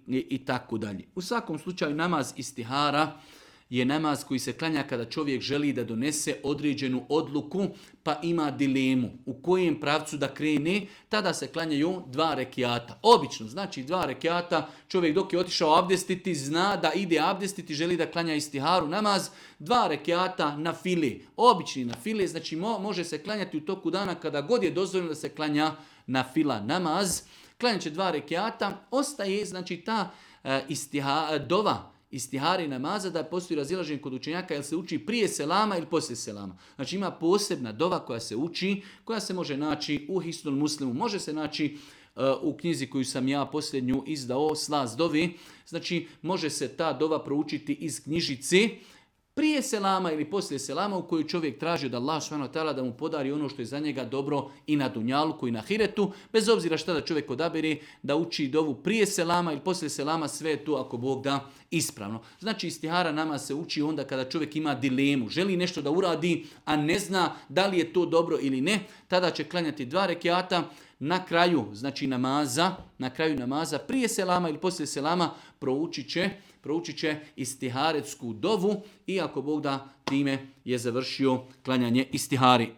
i tako dalje. U svakom slučaju namaz istihara je namaz koji se klanja kada čovjek želi da donese određenu odluku pa ima dilemu u kojem pravcu da krene, tada se klanjaju 2 rekiata. Obično, znači 2 rekiata, čovjek dok je otišao abdestiti, zna da ide abdestiti, želi da klanja istiharu namaz, 2 rekiata na file, obični na file, znači može se klanjati u toku dana kada god je dozvoljeno da se klanja na fila namaz. Klanjat će 2 rekiata, ostaje znači ta dova istihari namaza da postoji razilaženje kod učenjaka jel se uči prije selama ili poslije selama. Znači ima posebna dova koja se uči, koja se može naći u Hisnul Muslimu, može se naći u knjizi koju sam ja posljednju izdao, Slast dovi. Znači može se ta dova proučiti iz knjižice prije selama ili poslije selama u kojoj čovjek traži od Allah subhanahu wa ta'ala da mu podari ono što je za njega dobro i na dunjaluku i na hiretu, bez obzira šta da čovjek odabere da uči dovu prije selama ili poslije selama, sve je tu ako Bog da ispravno. Znači istihara nama se uči onda kada čovjek ima dilemu, želi nešto da uradi, a ne zna da li je to dobro ili ne, tada će klanjati 2 rekiata. Na kraju, znači namaza, prije selama ili poslije selama proučit će istiharetsku dovu i ako Bog da time je završio klanjanje istihari.